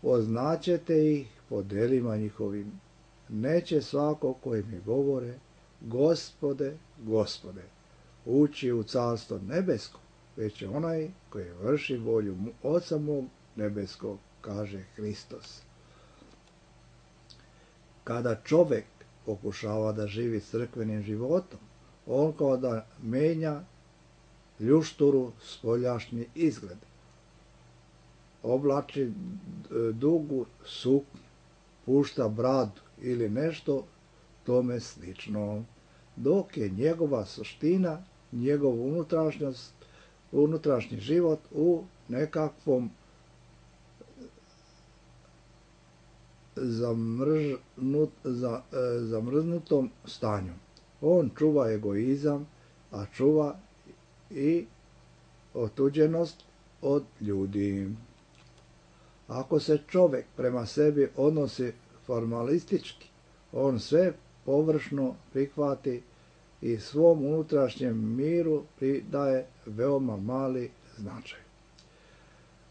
Poznaćete ih po delima njihovim. Neće svako koji mi govore, Gospode, Gospode, ući u carstvo nebesko, već je onaj koji vrši volju Oca mog nebeskog, kaže Hristos. Kada čovjek pokušava da živi crkvenim životom, on kao da menja ljušturu spoljašnji izgled. Oblači dugu suknju, pušta bradu ili nešto tome slično, dok je njegova suština, njegov unutrašnji život u nekakvom zamrznutom stanju. On čuva egoizam, a čuva i otuđenost od ljudi. Ako se čovjek prema sebi odnosi formalistički, on sve površno prihvati i svom unutrašnjem miru pridaje veoma mali značaj.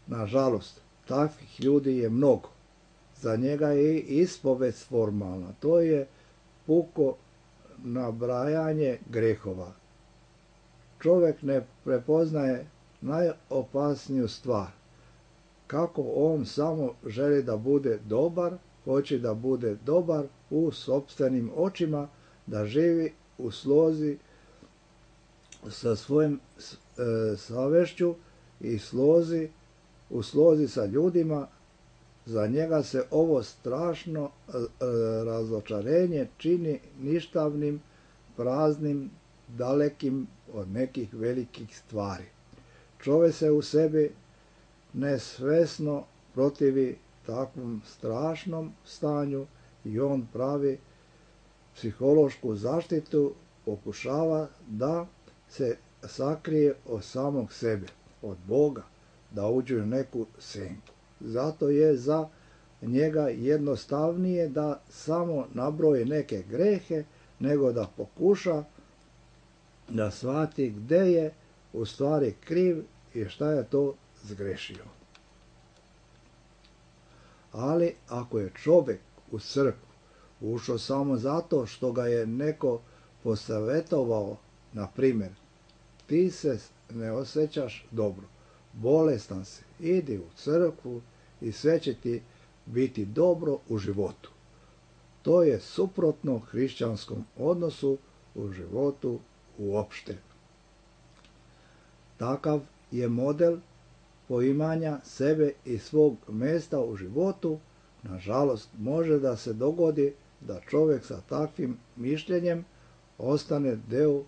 Nažalost, takvih ljudi je mnogo. Za njega je ispovest formalna. To je puko nabrajanje grehova. Čovjek ne prepoznaje najopasniju stvar. Kako on samo želi da bude dobar, hoće da bude dobar u sopstvenim očima, da živi u slozi sa svojim savešću i u slozi sa ljudima. Za njega se ovo strašno razočarenje čini ništavnim, praznim, dalekim od nekih velikih stvari. Čovjek se u sebi nesvesno protivi takvom strašnom stanju i on pravi psihološku zaštitu, pokušava da se sakrije od samog sebe, od Boga, da uđe u neku senku. Zato je za njega jednostavnije da samo nabroji neke grehe, nego da pokuša da shvati gde je u stvari kriv i šta je to zgrešio. Ali ako je čovjek u crkvu ušao samo zato što ga je neko posavjetovao, na primjer, ti se ne osjećaš dobro, bolestan si, idi u crkvu i sve će ti biti dobro u životu. To je suprotno hrišćanskom odnosu u životu uopšte. Takav je model poimanja sebe i svog mjesta u životu. Nažalost, može da se dogodi da čovjek sa takvim mišljenjem ostane deo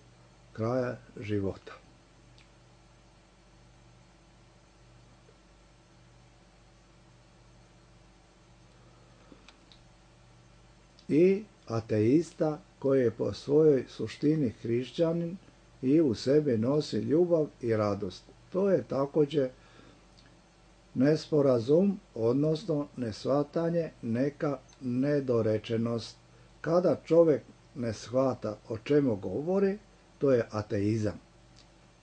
kraja života. I ateista koji je po svojoj suštini hrišćanin i u sebi nosi ljubav i radost. To je također nesporazum, odnosno neshvatanje, neka nedorečenost. Kada čovjek ne shvata o čemu govori, to je ateizam,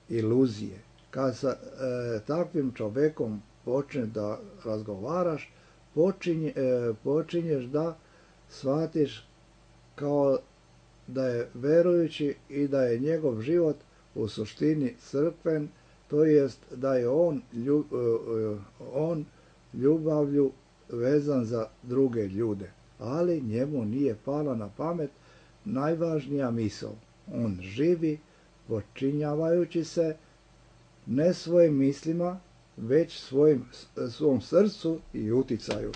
iluzije. Kad sa takvim čovjekom počne da razgovaraš, počinješ da shvatiš kao da je verujući i da je njegov život u suštini crkven, to jest da je on ljubavlju vezan za druge ljude. ali njemu nije pala na pamet najvažnija misao. On živi počinjavajući se ne svojim mislima, već svom srcu i uticaju.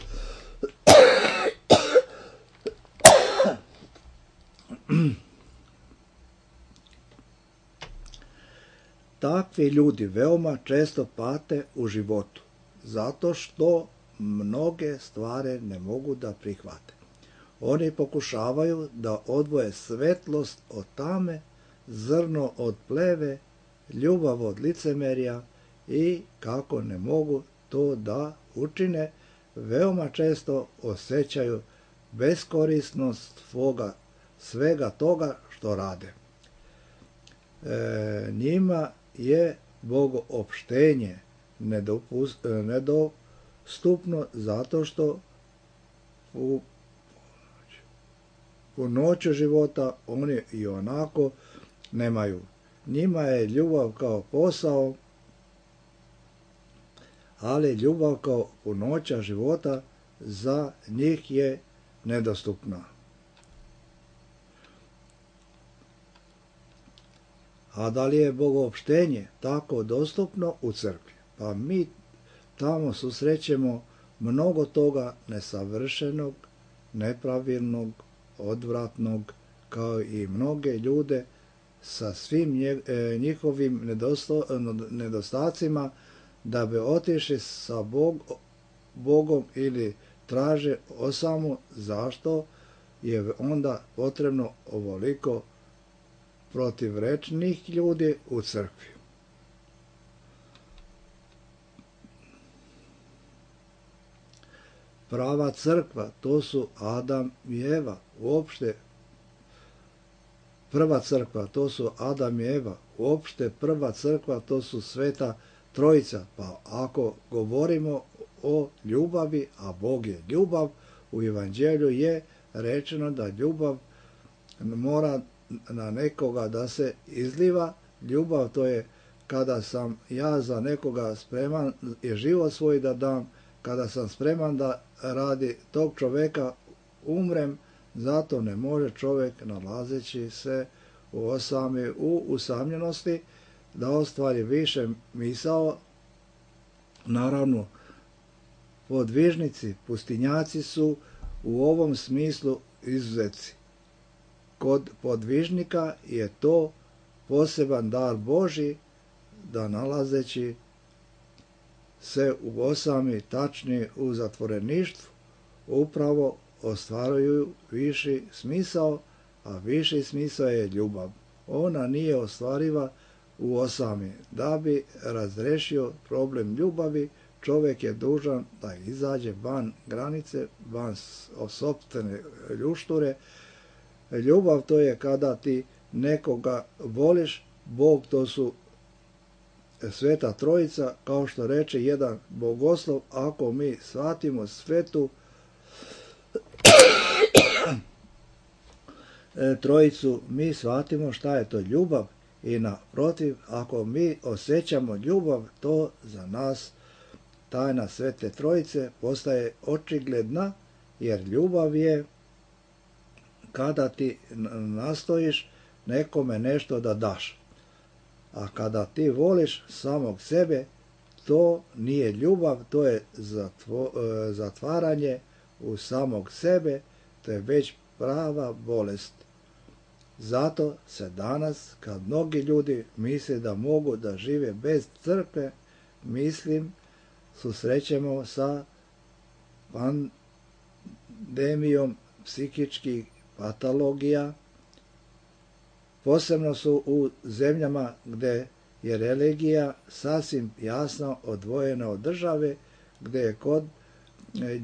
Takvi ljudi veoma često pate u životu, zato što mnoge stvari ne mogu da prihvate. Oni pokušavaju da odvoje svetlost od tame, zrno od pleve, ljubav od licemerja i kako ne mogu to da učine, veoma često osjećaju beskorisnost svega toga što rade. Njima je bogoopštenje nedostupno zato što u noću života oni i onako nemaju. Njima je ljubav kao posao, ali ljubav kao punoća života za njih je nedostupna. A da li je bogoopštenje tako dostupno u crkvi? Pa mi tamo susrećemo mnogo toga nesavršenog, nepravilnog, odvratnog, kao i mnoge ljude sa svim njihovim nedostacima, da bi otišli sa Bogom ili traže osamu. Zašto je onda potrebno ovoliko protivrečnih ljudi u crkvi? Prava crkva, to su Adam i Eva. Uopšte prva crkva, to su Adam i Eva. Uopšte prva crkva, to su Sveta Trojica. Pa ako govorimo o ljubavi, a Bog je ljubav, u Evanđelju je rečeno da ljubav mora na nekoga da se izliva. Ljubav, to je kada sam ja za nekoga spreman i život svoj da dam, kada sam spreman da radi tog čoveka umrem. Zato ne može čovjek, nalazeći se u usamljenosti, da ostvari više misao. Naravno, podvižnici, pustinjaci su u ovom smislu izuzeci. Kod podvižnika je to poseban dar Božji, da nalazeći se u osami, tačnije u zatvoreništvu, upravo ostvaruju viši smisao, a viši smisao je ljubav. Ona nije ostvariva u osami. Da bi razrešio problem ljubavi, čovjek je dužan da izađe van granice, van sopstvene ljušture. Ljubav, to je kada ti nekoga voliš. Bog, to su Sveta Trojica, kao što reče jedan bogoslov. Ako mi shvatimo Svetu Trojicu, mi shvatimo šta je to ljubav. I naprotiv, ako mi osjećamo ljubav, to za nas tajna Svete Trojice postaje očigledna, jer ljubav je kada ti nastojiš nekome nešto da daš. A kada ti voliš samog sebe, to nije ljubav, to je zatvaranje u samog sebe, to je već prava bolest. Zato se danas, kad mnogi ljudi misle da mogu da žive bez crkve, susrećemo sa pandemijom psihičkih patologija. Posebno su u zemljama gde je religija sasvim jasno odvojena od države, gde je kod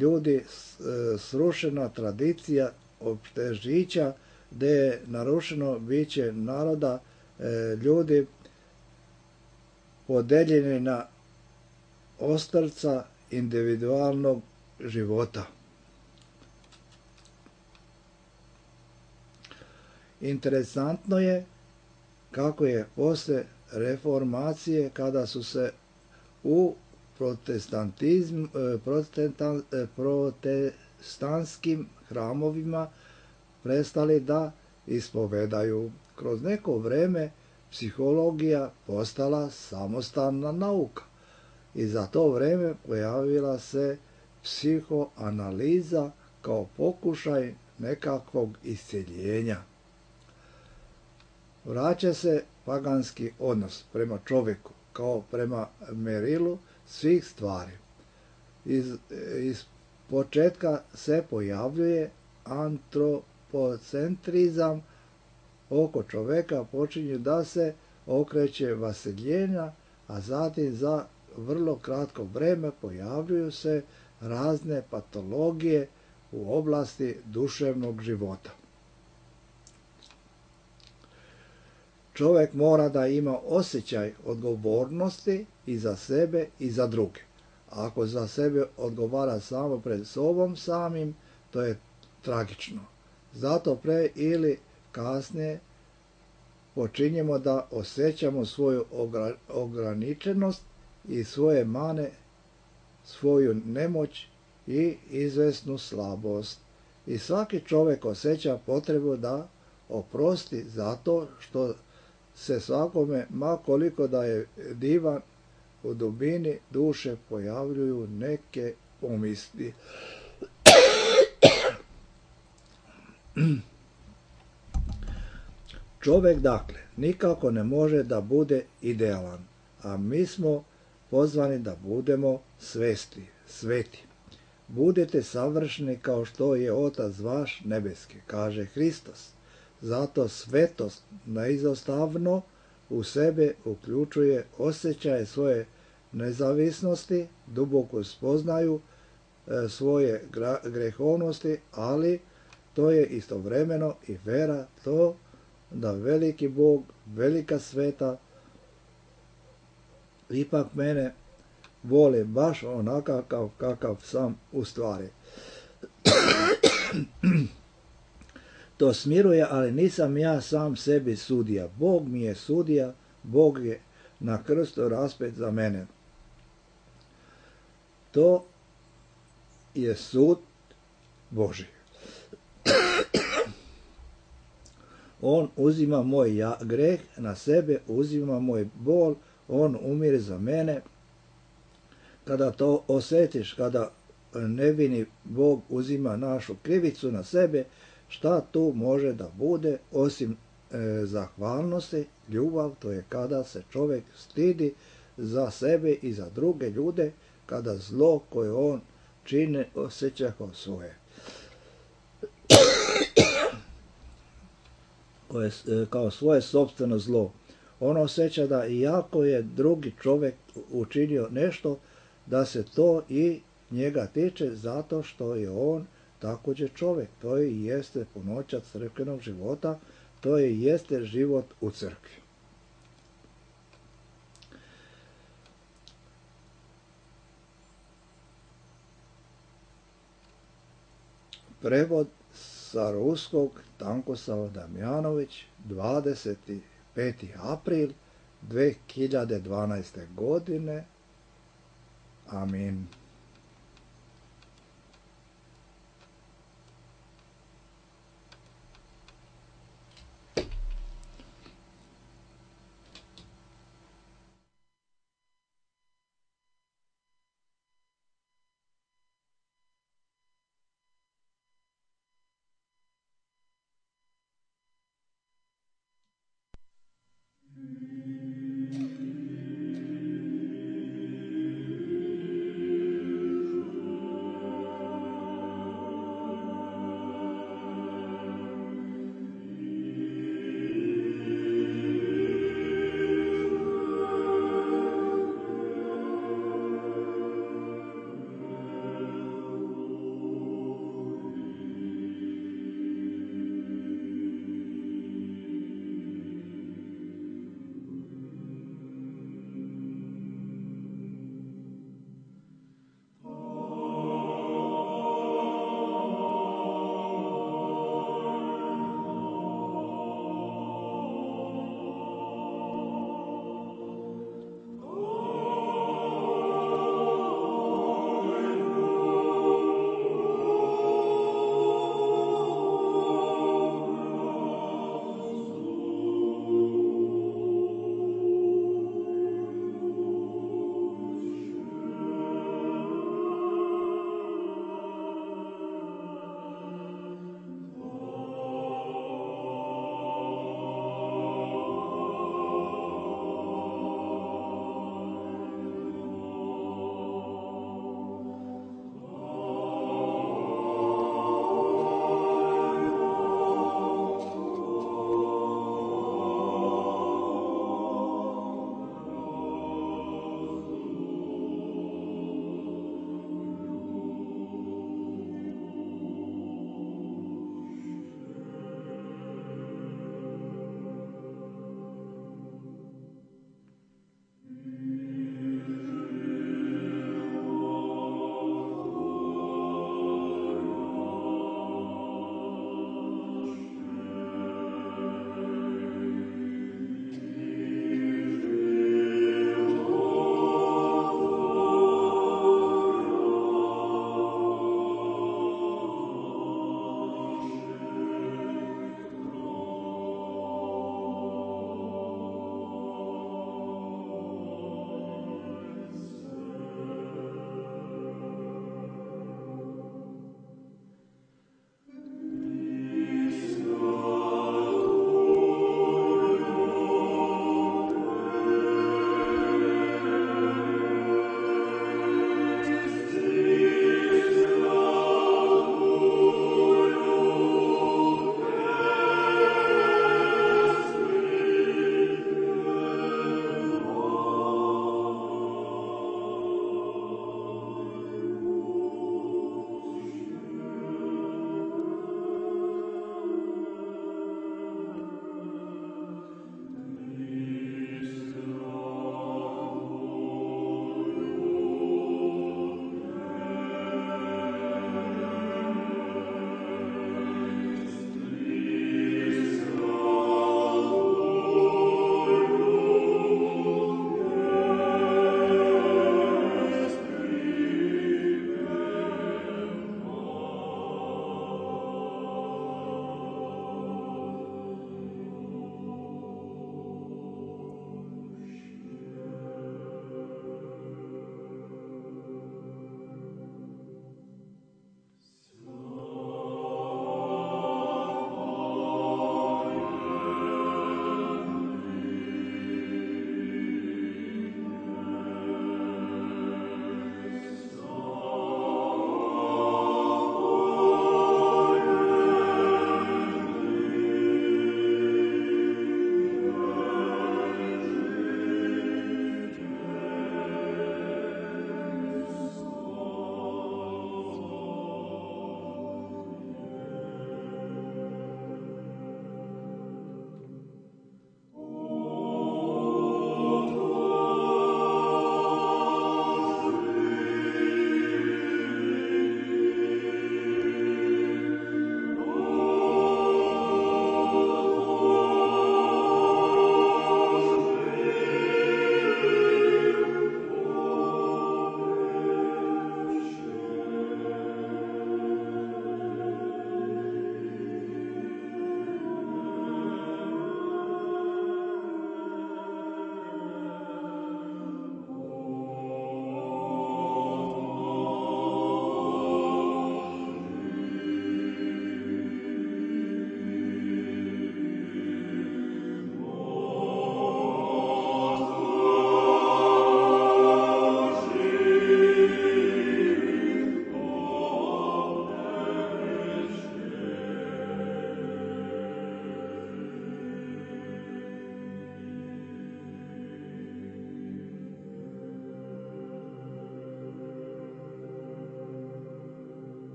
ljudi srušena tradicija opšte žića, gde je narušeno biće naroda, ljudi podeljeni na ostrvca individualnog života. Interesantno je kako je posle reformacije, kada su se u protestantskim hramovima prestali da ispovedaju. Kroz neko vreme psihologija postala samostalna nauka i za to vreme pojavila se psihoanaliza kao pokušaj nekakvog isceljenja. Vraća se paganski odnos prema čovjeku kao prema merilu svih stvari. Iz početka se pojavljuje antropocentrizam, oko čovjeka počinje da se okreće vaseljenja, a zatim za vrlo kratko vreme pojavljuju se razne patologije u oblasti duševnog života. Čovjek mora da ima osjećaj odgovornosti i za sebe i za druge. Ako za sebe odgovara samo pred sobom samim, to je tragično. Zato pre ili kasnije počinjemo da osjećamo svoju ograničenost i svoje mane, svoju nemoć i izvesnu slabost. I svaki čovjek osjeća potrebu da oprosti zato što se svakome, ma koliko da je divan, u dubini duše pojavljuju neke pomisli. Čovjek, dakle, nikako ne može da bude idealan, a mi smo pozvani da budemo sveti. Budete savršeni kao što je Otac vaš nebeski, kaže Hristos. Zato svetost neizostavno u sebe uključuje osjećaje svoje nezavisnosti, duboku spoznaju svoje grehovnosti, ali to je istovremeno i vera to da veliki Bog, velika sveta, ipak mene voli baš onakav kakav sam u stvari. To smiruje, ali nisam ja sam sebi sudija. Bog mi je sudija, Bog je na krstu raspet za mene. To je sud Božji. On uzima moj greh na sebe, uzima moj bol, on umire za mene. Kada to osjetiš, kada nevini Bog uzima našu krivicu na sebe, šta tu može da bude osim zahvalnosti, ljubav, to je kada se čovjek stidi za sebe i za druge ljude, kada zlo koje on čine osjeća kao svoje. Kao svoje sopstveno zlo. On osjeća da iako je drugi čovjek učinio nešto, da se to i njega tiče zato što je on također čovjek. To i jeste punoća crkvenog života, to i jeste život u crkvi. Prevod sa ruskog Tankosava Damjanović, 25. april 2012. godine. Amin.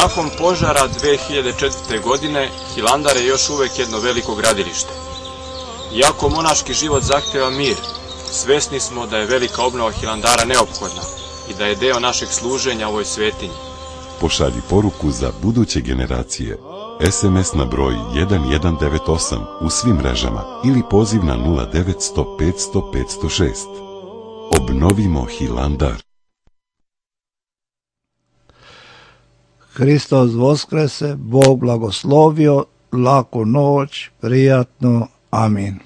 Nakon požara 2004. godine, Hilandar je još uvek jedno veliko gradilište. Iako monaški život zahteva mir, svesni smo da je velika obnova Hilandara neophodna i da je deo našeg služenja ovoj svetinji. Pošalji poruku za buduće generacije. SMS na broj 1198 u svim mrežama ili poziv na 0900 500 506. Obnovimo Hilandar. Hristos voskrese, Bog blagoslovio, laku noć, prijatno, amin.